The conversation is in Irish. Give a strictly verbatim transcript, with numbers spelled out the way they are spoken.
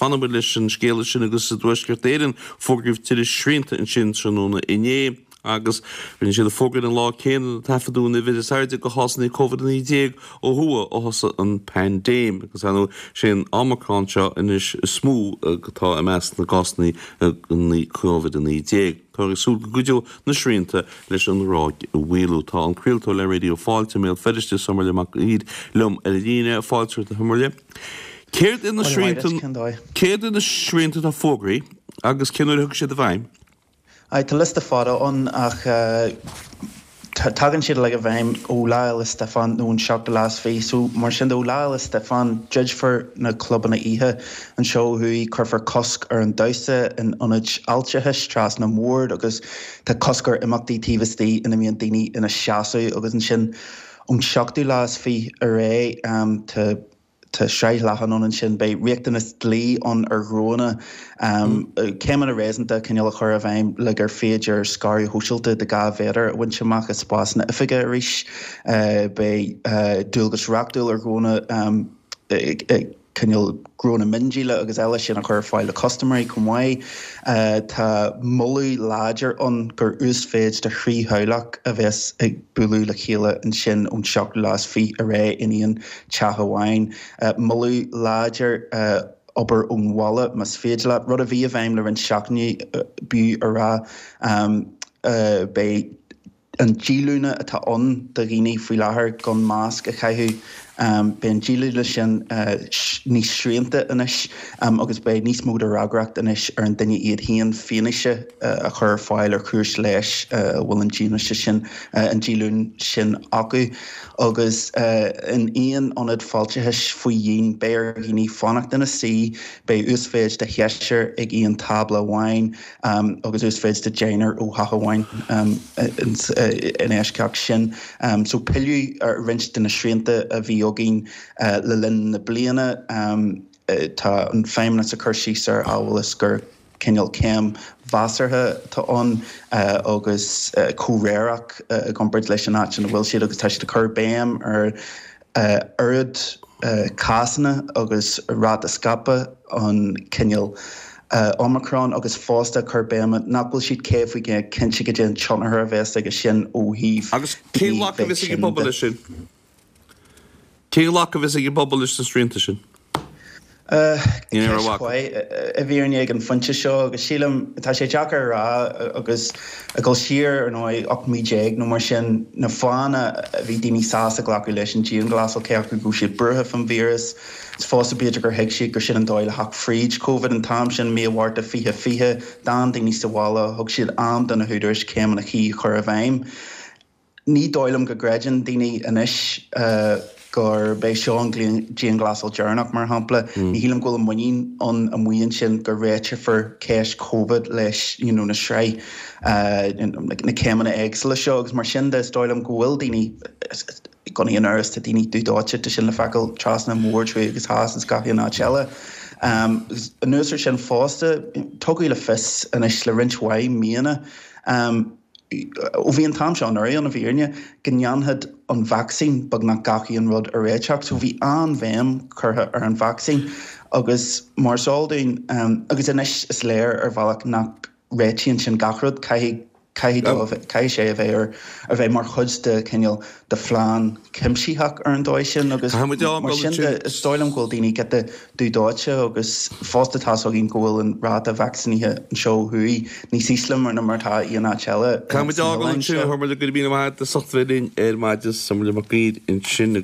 fanfaidh muid leis an scéala sin agus i dTuaisceart Éireann fógraíodh tuilleadh srianta ansin tráthnóna inné agus rinne siad an fógra an lá céanna a taifeadadh an uimhir is airde de chásanna Covid a naoi déag ó thuaidh ó thosaigh an paindéim agus ar ndóigh sé an Omicron seo anois is mó atá i measc na gcásanna Covid a naoi déag. Táthar ag súil go gcuideoidh na srianta leis an ráig a mhaolú. Tá an craoltóir le Raidió Fáilte i mBéal Feirste, Somhairle Mac Uidhir, liom ar an líne. Fáilte romhat a Shomhairle. Céard iad na srianta Céard iad na srianta atá fógraithe agus cén uair a thiocfaidh siad i bhfeidhm? Aye, tá liosta fada ann ach tagann siad uilig i bhfeidhm ó Lá Fhéile Stiofáin nó an seachtú lá is fiche. So mar sin de ó Lá Fhéile Stiofáin druidfear na clubanna oíche anseo ó thuaidh, cuirfear cosc ar an damhsa in ionaid fháilteachais trasna na mbord agus tá cosc ar imeachtaí taobh istigh ina mbíonn daoine ina seasamh agus ansin ón seachtú lá is fiche ar aghaidh tá Tá sraith leathan ann ansin. Beidh riachtanas dlí ann ar ghnónna céimeanna réasúnta cineál a chur i bhfeidhm le gur féidir scaradh shóisialta de dhá mhéadar a bhaint amach i spásanna oifige arís. Beidh dualgas reachtúil ar ghnónna cineál gnónna miondíola agus eile sin a chur ar fáil do chustaiméirí chomh maith. Tá moladh láidir ann gur uasmhéid de thrí theaghlach a bheas ag bualadh le chéile ansin ón seachtú lá is fiche ar aghaidh in aon teach amháin. Moladh láidir obair ón bhaile más féidir leat, rud a bhí i bhfeidhm le roinnt seachtainí, b'fhiú a rá. Beidh. An díolúine atá ann do dhaoine faoi láthair gan masc a chaitheamh, beidh an díolúine sin níos srianta anois agus beidh níos mó de fhreagracht anois ar an duine iad féin fianaise a chur ar fáil ar chúis leighis a bhfuil an díolúine sin, an díolúine sin acu. Agus in aon ionad fáilteachais faoi dhíon, beidh ar dhaoine fanacht ina suí, beidh uasmhéid de sheisear ag aon tábla amháin, agus uasmhéid de deichniúr ó theach amháin in eisceacht sin. So pilleadh ar roinnt de na srianta a bhí againn le linn na bliana. Tá an Feidhmeannas ag cur síos air amhail is gur cineál céim mheasartha atá ann agus comhréireach i gcomparáid leis an áit ina bhfuil siad agus tá siad ag cur béim ar oiread cásanna agus ráta scaipthe an chineál Omicron agus fosta ag cur béim nach bhfuil siad céad faoin gcéad cinnte goidé an tionchar a bheas aige sin ó thaobh Agus cén daoine ghlacadh a bheith bheas ag an tinn bpobal de. leis sin? Cén ghlacadh a bheas ag an bpobal leis na srianta sin? Ní raibh Ceist mhaith. mhaith i bhfírinne ag an phointe seo agus sílim, tá sé deacair a rá agus ag dul siar ar ndóigh ocht mí déag nó mar sin, na fáthanna a bhí daoine sásta glacadh leis an dianghlasáil, cé acu go raibh siad buartha fán víreas, is fosta b'fhéidir gur thuig siad gur sin an dóigh le theacht fríd Covid an t-am sin, mí an Mhárta fiche fiche, d'fhan daoine sa bhaile, thug siad am do na húdaráis céimeanna cuí a chur i bhfeidhm. Ní dóigh liom go gcreideann daoine anois gurb é seo an dianghlasáil deireanach, mar shampla. Ní shílim go bhfuil an muinín ann amuigh ansin go réiteofar ceist Covid leis you know na sraith na céimeanna éagsúla seo agus mar sin de is dóigh liom go bhfuil daoine gan aon amhras tá daoine dubh dóite, tá sin le feiceáil trasna an bhoird thuaidh agus theas agus gach aon áit eile. Agus anuas air sin fosta, tugadh le fios anois le roinnt mhaith míonna, ó bhí an t-am seo anuraidh ann i bhfírinne, go ndéanfadh an vacsaín beagnach gach aon rud a réiteach. So bhí an-bhéim curtha ar an vacsaín agus mar is eol dúinn, agus anois is léir ar bhealach nach réitíonn sin gach rud, caithfidh, caithfidh, caithfidh sé a bheith ar, a bheith mar chuid de chineál de phlean cuimsitheach ar an dóigh sin agus Caithfidh muid mar fhágáil sin de ansin. is dóigh liom go bhfuil daoine giota dubh dóite agus fosta tá's againn go bhfuil an ráta vacsaínithe anseo ó thuaidh níos ísle mar ná mar atá aon áit eile Caithfidh muid san fhágáil oileán ansin a seo. Shomhairle, go raibh míle maith agat as ucht bheith linn ar maidin, Somhairle Mac Uidhir ansin.